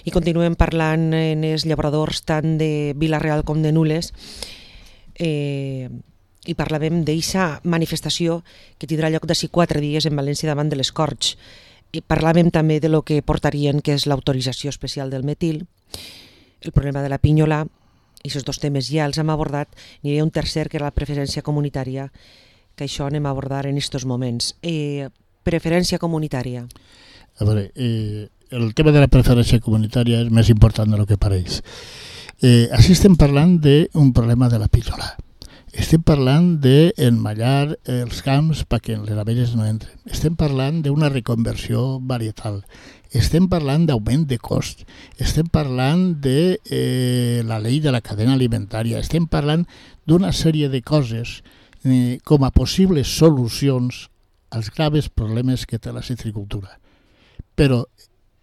I continuem parlant en els llauradors tant de Vila-real com de Nules i parlàvem d'eixa manifestació que tindrà lloc d'ací 4 dies en València davant de les Corts. I parlàvem també de lo que portarien, que és l'autorització especial del metil, el problema de la pinyola, i aquests 2 temes ja els hem abordat. N'hi havia un tercer, que era la preferència comunitària, que això anem a abordar en aquests moments. Preferència comunitària. A veure, el tema de la preferència comunitària és més important del que pareix. Així estem parlant d'un problema de la pinyola. Estem parlant d'emmallar els camps perquè les abelles no entren. Estem parlant d'una reconversió varietal. Estem parlant d'augment de cost. Estem parlant de la llei de la cadena alimentària. Estem parlant d'una sèrie de coses com a possibles solucions als graves problemes que té la citricultura. Però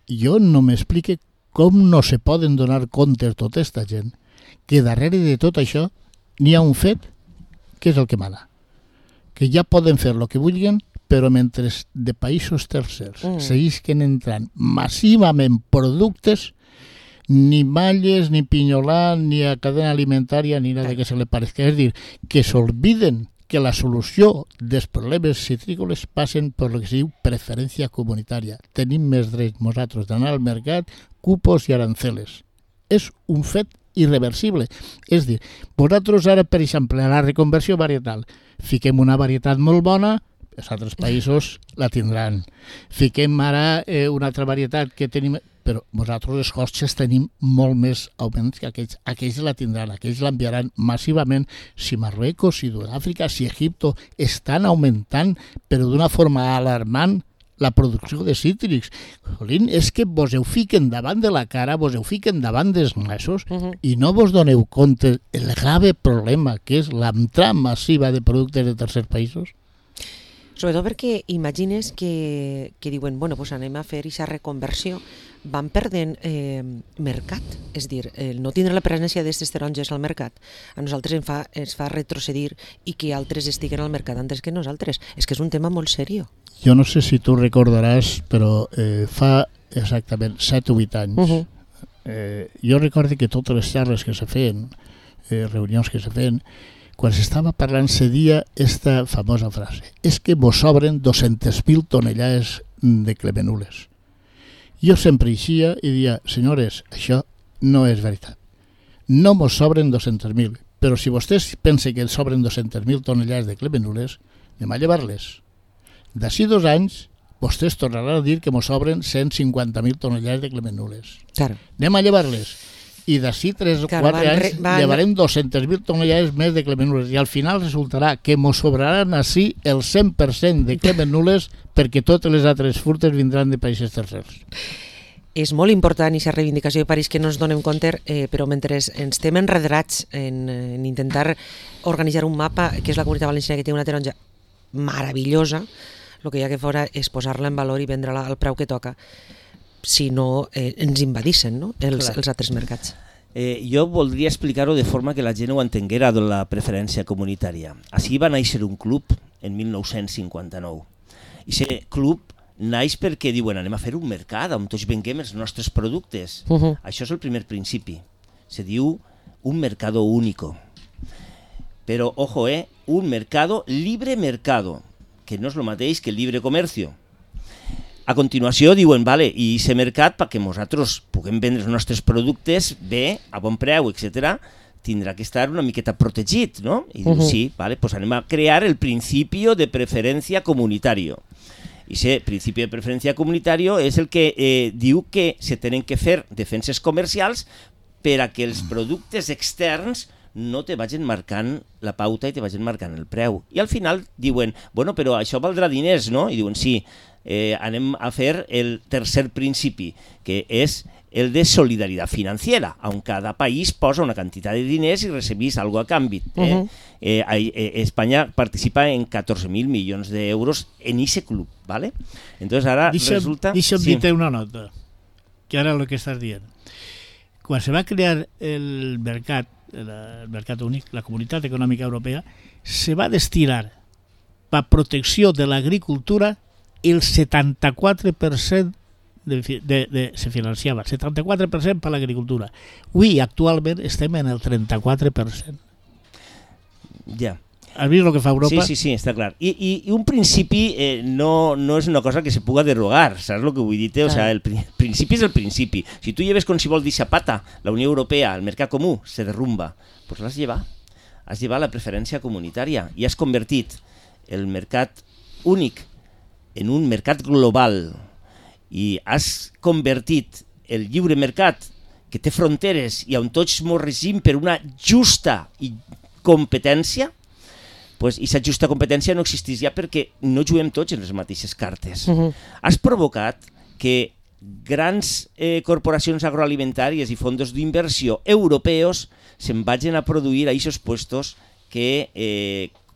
jo no m'explique com no se poden donar compte tota aquesta gent que darrere de tot això n'hi ha un fet que és el que mana. Que ja poden fer el que vulguin, però mentre de països tercers seguisquen entrant massivament productes, ni malles, ni pinyolà, ni a cadena alimentària, ni nada que se li parezca. És a dir, que s'olviden que la solució dels problemes citrícoles passen per el que se diu preferència comunitària. Tenim més drets nosaltres d'anar al mercat, cupos i aranceles. És un fet irreversible. És a dir, vosaltres ara, per exemple, a la reconversió varietal, fiquem una varietat molt bona, els altres països la tindran. Fiquem ara una altra varietat que tenim, però nosaltres els costes tenim molt més augments que aquells. Aquells la tindran, aquells l'enviaran massivament. Si Marruecos, si Sud-àfrica, si Egipto estan augmentant, però d'una forma alarmant, la producció de cítrics. Jolín, és que vos ho fiquen davant de la cara, vos ho fiquen davant dels nassos i no vos doneu compte el grave problema que és l'entrada massiva de productes de tercers països? Sobretot perquè imagines que diuen, bueno, pues anem a fer aquesta reconversió, van perdent mercat, és dir, no tindre la presència d'aquestes taronges al mercat a nosaltres ens fa retrocedir i que altres estiguen al mercat antes que nosaltres. És que és un tema molt seriós. Jo no sé si tu recordaràs, però fa exactament 7 o 8 anys jo recordo que totes les xarres que se feien, reunions que se feien, quan s'estava parlant se dia esta famosa frase: és que vos sobren 200.000 tonellades de clemenules. Jo sempre eixia i dia, senyores, això no és veritat. No mos sobren 200.000, però si vostès pensen que ens sobren 200.000 tonellades de clemenules, anem a llevar-les. D'ací 2 anys, vostès tornaran a dir que mos sobren 150.000 tonellades de clemenules. Claro. Anem a llevar-les. I d'ací 3 o 4 anys llevarem 200.000 tonellades més de clemenules. I al final resultarà que mos sobraran així el 100% de clemenules perquè totes les altres fruites vindran de països tercers. És molt important aquesta reivindicació de París que no ens donem compte, però mentre ens estem enredrats en intentar organitzar un mapa, que és la Comunitat Valenciana, que té una taronja meravellosa, el que hi ha que fora és posar-la en valor i vendre-la al preu que toca, si no ens invadissen, no? els altres mercats. Jo voldria explicar-ho de forma que la gent ho entenguera de la preferència comunitària. Així va néixer un club en 1959. I aquest club naix perquè diuen anem a fer un mercat on tots venguem els nostres productes. Això és el primer principi. Se diu un mercado único. Però, ojo, un mercado libre mercado, que no és el mateix que el libre comercio. A continuació diuen, vale, i aquest mercat, perquè nosaltres puguem vendre els nostres productes bé, a bon preu, etc., tindrà que estar una miqueta protegit, no? I diu, sí, vale, pues anem a crear el principi de preferència comunitària. I aquest principi de preferència comunitària és el que diu que se tenen que fer defenses comercials per a que els productes externs no te vagin marcant la pauta i te vagin marcant el preu. I al final diuen, bueno, però això valdrà diners, no? I diuen, sí, anem a fer el tercer principi, que és el de solidaritat financiera, on cada país posa una quantitat de diners i recibís algo a canvi. Espanya participa en 14.000 milions d'euros en ese club, ¿vale? Entonces ara resulta... Deixa'm dir-te una nota, que ara el que estàs dient. Quan se va crear el mercat únic, la Comunitat Econòmica Europea, se va destinar per protecció de l'agricultura el 74% se financiava 74% per l'agricultura. Avui, actualment, estem en el 34%. Ja. Has vist el que fa Europa? Sí, està clar. I un principi no és una cosa que se puga derogar, saps el que vull dir? O sea, el principi és el principi. Si tu lleves con si vol dir Zapata, la Unió Europea, el mercat comú, se derrumba, pues l'has llevat. Has llevat la preferència comunitària i has convertit el mercat únic en un mercat global i has convertit el lliure mercat que té fronteres i on tots ens regim per una justa competència, pues, i aquesta justa competència no existeix ja perquè no juguem tots en les mateixes cartes. Has provocat que grans corporacions agroalimentàries i fondos d'inversió europeus se'n vagin a produir a aquests puestos que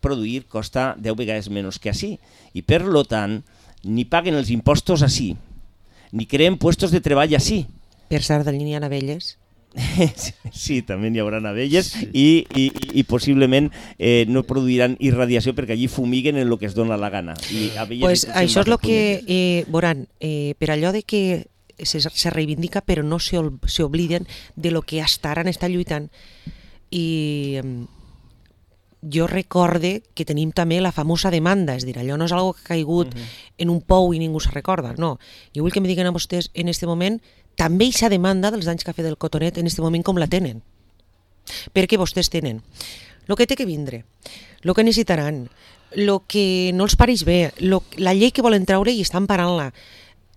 produir costa 10 vegades menys que així. I per lo tant, ni paguen els impostos així, ni creen puestos de treball així. Per Sardenya hi ha abelles. Sí, també hi haurà abelles i possiblement no produiran irradiació perquè allí fumiguen en el que es dona la gana. Pues això és el que veuran, per allò de que se reivindica però no s'obliden de lo que hasta ara han estat lluitant. I jo recorde que tenim també la famosa demanda, és a dir, allò no és algo que ha caigut en un pou i ningú se recorda, no. Jo vull que me diguen a vostès en aquest moment també aquesta demanda dels danys que ha fet el cotonet en aquest moment com la tenen. Perquè vostès tenen el que té que vindre, el que necessitaran, el que no els pareix bé, la llei que volen treure i estan parant-la.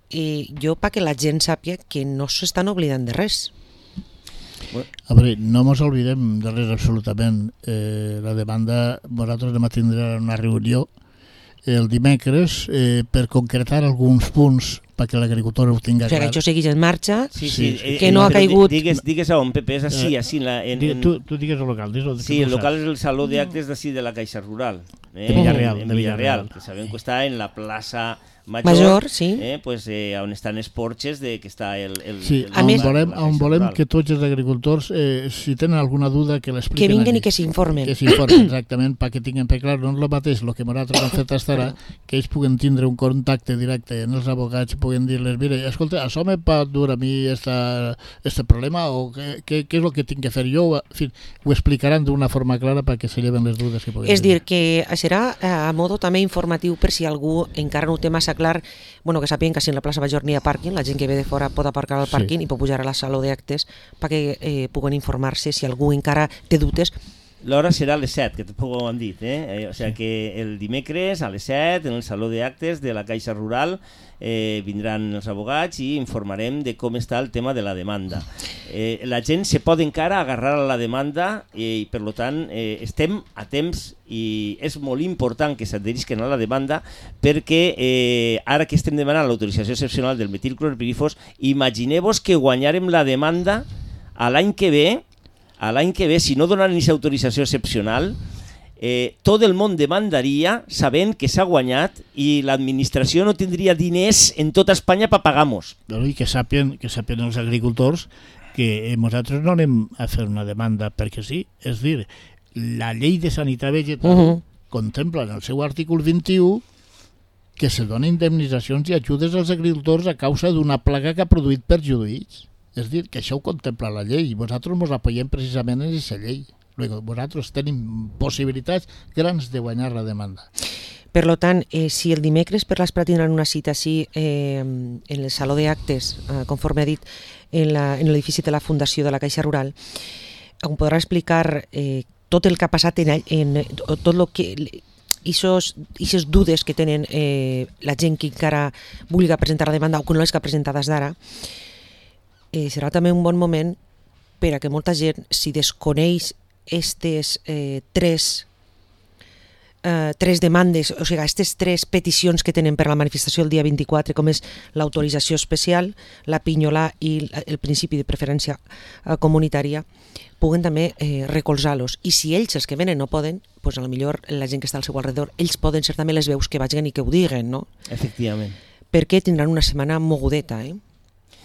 Jo perquè la gent sàpia que no s'estan oblidant de res. A veure, no ens oblidem de res absolutament. La demanda, nosaltres anem a tindre una reunió el dimecres per concretar alguns punts perquè l'agricultor ho tingui clar. O sigui, que això segueix en marxa, sí. Que no ha caigut... Digues a on, Pepe, és així. Tu digues el local. Sí, el local és el Saló d'actes d'ací de la Caixa Rural. De Villarreal. En Villarreal, que sabem que està en la plaça Major, sí. On estan els porxes que està el... Sí, on volem que tots els agricultors, si tenen alguna duda, que l'expliquen. Que vinguen i que s'informen. Que s'informen, exactament, perquè tinguin per clar, no és el mateix el que nosaltres hem fet fins ara, que ells puguen tindre un contacte directe amb els abogats, puguen dir-les, mira, escolta, això me pot dur a mi este problema o què és el que tinc que fer jo? En fi, ho explicaran d'una forma clara perquè se lleven les dudes que puguen. És dir, que serà a modo també informatiu per si algú encara no ho té massa clar, bueno, que sàpiguen que si en la plaça Major n'hi ha pàrquing, la gent que ve de fora pot aparcar al pàrquing i pot pujar a la sala d'actes perquè puguen informar-se si algú encara té dubtes. L'hora serà a les 7, que tampoc ho han dit. O sigui que el dimecres a les 7 en el Saló d'actes de la Caixa Rural vindran els abogats i informarem de com està el tema de la demanda. La gent se pot encara agarrar a la demanda i per tant estem a temps i és molt important que s'adherisquen a la demanda perquè ara que estem demanant l'autorització excepcional del metilclorpirifos, imagineu-vos que guanyarem la demanda a l'any que ve, si no donen aquesta autorització excepcional, tot el món demandaria sabent que s'ha guanyat i l'administració no tindria diners en tota Espanya per pagar-nos. I que sàpien els agricultors que nosaltres no anem a fer una demanda perquè sí, és dir, la llei de sanitat vegetal contempla en el seu article 21 que se donen indemnitzacions i ajudes als agricultors a causa d'una plaga que ha produït perjudicis. És dir, que això ho contempla la llei i nosaltres ens apoyem precisament en aquesta llei. Nosaltres tenim possibilitats grans de guanyar la demanda. Per tant, si el dimecres per l'Esprat tindran una cita així en el Saló d'actes, conforme ha dit, en l'edifici de la Fundació de la Caixa Rural, on podrà explicar tot el que ha passat en tot el que... Ixes dudes que tenen la gent que encara vulgui presentar la demanda o que no les que ha presentat des d'ara, serà també un bon moment per a que molta gent, si desconeix aquestes tres demandes, o sigui, aquestes tres peticions que tenen per la manifestació el dia 24, com és l'autorització especial, la pinyolà i el principi de preferència comunitària, puguen també recolzar-los. I si ells, els que venen, no poden, doncs potser la gent que està al seu alrededor, ells poden ser també les veus que vagin i que ho diguen, no? Efectivament. Perquè tindran una setmana mogudeta,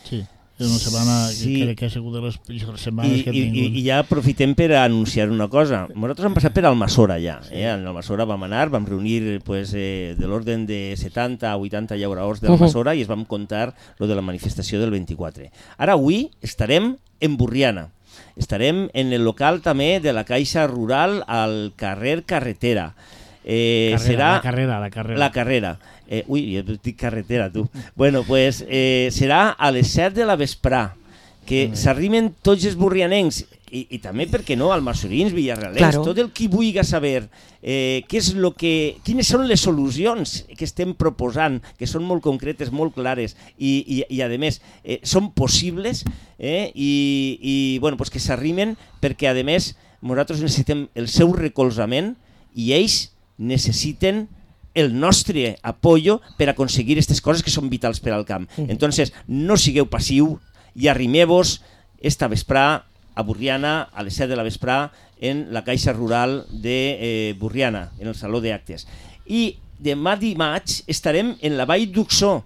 Sí. És una setmana que crec que ha sigut de les pitjors setmanes que hem tingut. I ja aprofitem per anunciar una cosa. Nosaltres hem passat per Almassora ja. En Almassora vam anar, vam reunir de l'orden de 70 a 80 llauradors d'Almassora i es vam contar lo de la manifestació del 24. Ara avui estarem en Borriana. Estarem en el local també de la Caixa Rural al carrer Carretera. La carrera. La carrera. Ui, jo dic carretera, tu. Bueno, pues serà a les 7 de la vesprà, que s'arrimen tots els borrianencs, i també, per què no, almassorins, villarrealens, tot el qui vulgui saber quines són les solucions que estem proposant, que són molt concretes, molt clares, i a més, són possibles, i bueno, pues que s'arrimen, perquè a més, nosaltres necessitem el seu recolzament, i ells necessiten el nostre apoyo per aconseguir aquestes coses que són vitals per al camp. Entonces, no sigueu passiu i arrimeu-vos esta vesprà a Borriana a les 7 de la vesprà en la Caixa Rural de Borriana, en el Saló d'Actes. I demà dimarts estarem en la Vall d'Uxó,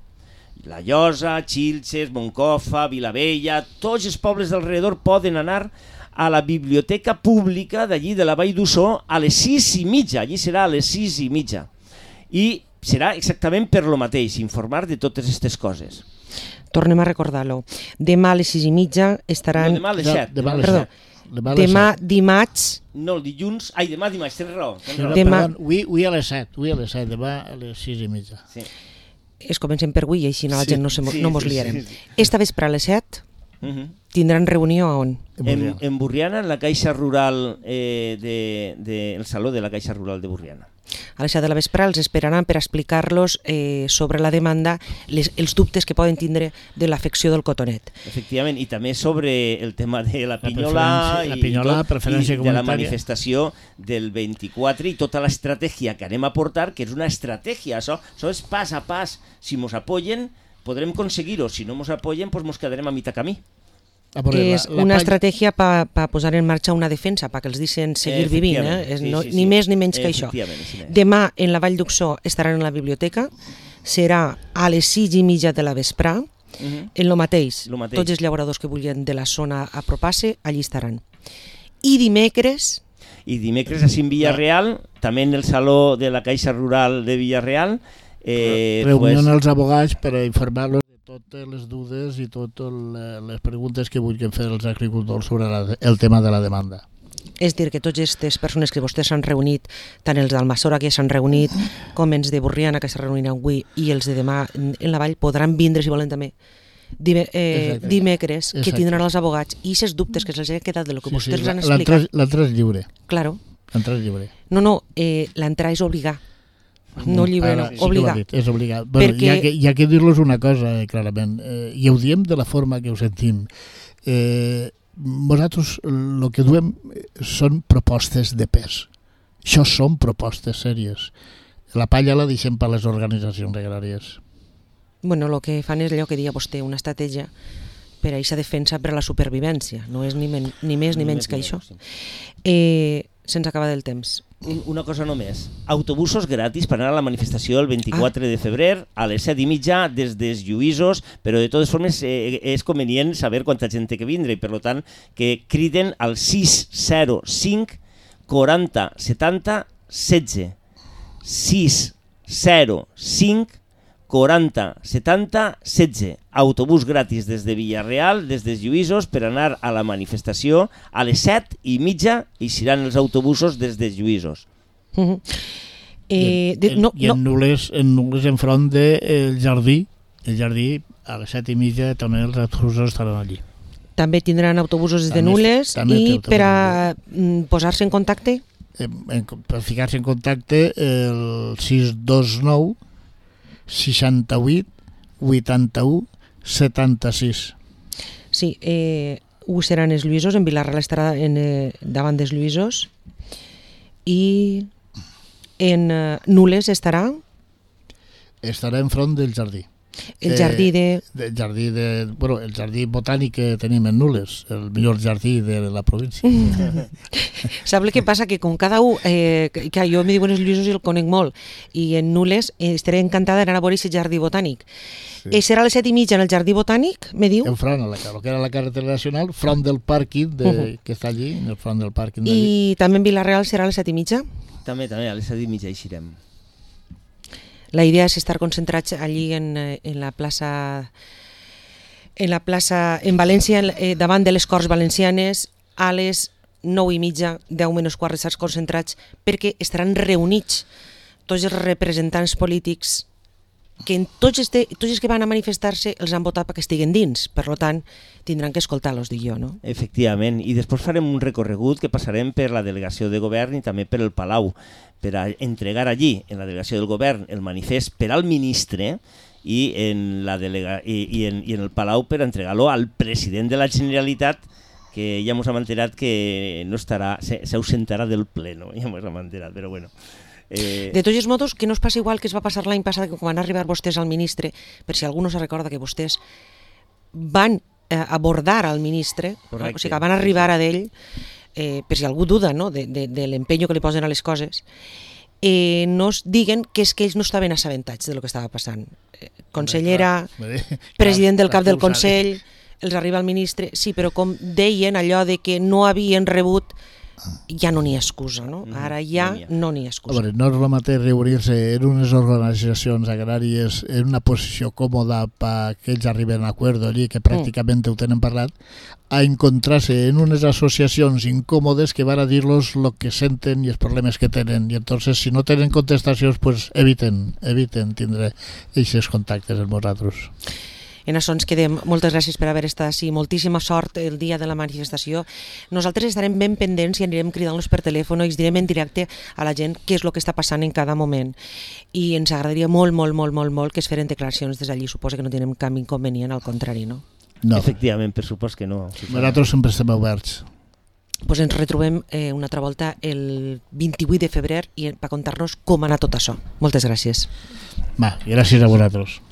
La Llosa, Xilxes, Moncofa, Vilavella, tots els pobles d'alrededor poden anar a la biblioteca pública d'allí de la Vall d'Uxó a les 6:30, allí serà a les 6:30. I serà exactament per lo mateix, informar de totes aquestes coses. Tornem a recordar-lo. Demà a les 6:30 estaran... No, demà a les 7. Demà dimarts... No, el dilluns... Ai, demà dimarts, tens raó. Avui a les 7, demà a les 6:30. Sí. Es comencem per avui i així la gent no mos liarem. Esta vespre a les 7 tindran reunió a on? En Borriana, en la Caixa Rural, el Saló de la Caixa Rural de Borriana. A les 7 de la vespre els esperaran per explicar-los sobre la demanda, els dubtes que poden tindre de l'afecció del cotonet. Efectivament, i també sobre el tema de la pinyola i de la manifestació del 24 i tota l'estratègia que anem a portar, que és una estratègia, això és pas a pas. Si ens apoyen, podrem aconseguir-ho. Si no ens apoyen, doncs ens quedarem a mitjà camí. És una estratègia per posar en marxa una defensa, perquè els deixen seguir vivint, ni més ni menys que això. Demà en la Vall d'Uxó estaran a la biblioteca, serà a les 6:30 de la vesprà, en lo mateix, tots els llauradors que vulguin de la zona apropar-se, allí estaran. I dimecres... així en Villarreal, també en el Saló de la Caixa Rural de Villarreal... Reunió als abogats per informar-los totes les dudes i totes les preguntes que vulguin fer els agricultors sobre el tema de la demanda. És dir, que totes aquestes persones que vostès s'han reunit, tant els d'Almassora que s'han reunit, com els de Borriana que s'han reunit avui i els de demà en la Vall, podran vindre, si volen també, dimecres, que tindran els abogats i aquests dubtes que se'ls ha quedat de lo que vostès han explicat. L'entrada és lliure. Claro. L'entrada és lliure. No, l'entrada és obligar. No lliure, no, obligar. És obligar. Bueno, hi ha que dir-los una cosa, clarament, i ho diem de la forma que ho sentim. Nosaltres el que duem són propostes de pes. Això són propostes sèries. La palla la deixem per les organitzacions agràries. Bueno, el que fan és allò que deia vostè, una estratègia per a aquesta defensa per a la supervivència. No és ni més ni menys que això. Se'ns acaba del temps. Una cosa només. Autobusos gratis per anar a la manifestació el 24 de febrer a les 7:30 des dels Lluïsos, però de totes formes és convenient saber quanta gent té que vindre i per tant que criden al 605 40 70 16. 605 40 70 16. Autobús gratis des de Villarreal, des dels Lluïsos, per anar a la manifestació a les 7:30 i seran els autobusos des dels Lluïsos. I en Nules enfront del jardí, a les 7:30 també els autobusos estaran allí. També tindran autobusos des de Nules i per a posar-se en contacte? Per ficar-se en contacte el 629 68 81 76. Sí, ho seran els Lluïsos, en Vilarreal estarà davant dels Lluïsos i en Nules estarà? Estarà enfront del jardí. El jardí el jardí botànic que tenim en Nules, el millor jardí de la província. Sap el que passa? Que com cada un, que jo me diuen els Lluïsos i el conec molt, i en Nules estaré encantada d'anar a veure aquest jardí botànic. Sí. Serà a les 7:30 en el jardí botànic, me diu? Enfront, el que era la carretera nacional, front del pàrquing que està allí, en el front del pàrquing d'allí. I també en Vila-real serà a les 7:30? També, a les 7:30 hi serem. La idea és estar concentrats allí en la plaça en València, davant de les Corts Valencianes, a les 9:30, 10 menys quart, estar concentrats, perquè estaran reunits tots els representants polítics que tots els que van a manifestar-se els han votat perquè estiguen dins, per tant tindran que escoltar-los, dic jo, no? Efectivament, i després farem un recorregut que passarem per la delegació de govern i també per el Palau, per a entregar allí, en la delegació del govern, el manifest per al ministre i en el Palau per entregar-lo al president de la Generalitat, que ja ens hem enterat que no estarà, s'ausentarà del pleno, ja ens hem enterat, però bueno. De tots els modos, que no es passi igual que es va passar l'any passat, que quan van arribar vostès al ministre, per si algú no se recorda que vostès van abordar al ministre, correcte, o sigui que van arribar a d'ell, per si algú duda, no?, de l'empenyo que li posen a les coses, no es diguen que és que ells no estaven assabentats del que estava passant. Consellera, president del cap del Consell, els arriba el ministre, sí, però com deien allò de que no havien rebut, ja no n'hi ha excusa, no? Ara ja no n'hi ha excusa. A veure, no és el mateix reunir-se en unes organitzacions agràries en una posició còmoda perquè ells arriben a acord allí, que pràcticament ho tenen parlat, a encontrar-se en unes associacions incòmodes que van a dir-los el que senten i els problemes que tenen. I entonces, si no tenen contestacions, pues eviten tindre aquests contactes amb nosaltres. En això ens quedem. Moltes gràcies per haver estat així. Moltíssima sort el dia de la manifestació. Nosaltres estarem ben pendents i anirem cridant-los per telèfon i els direm en directe a la gent què és el que està passant en cada moment. I ens agradaria molt que es feren declaracions des d'allí. Suposo que no tenim cap inconvenient, al contrari, no? No. Efectivament, per supost que no. Nosaltres sempre estem oberts. Pues ens retrobem una altra volta el 28 de febrer i per contar-nos com ha anat tot això. Moltes gràcies. Va, gràcies a vosaltres.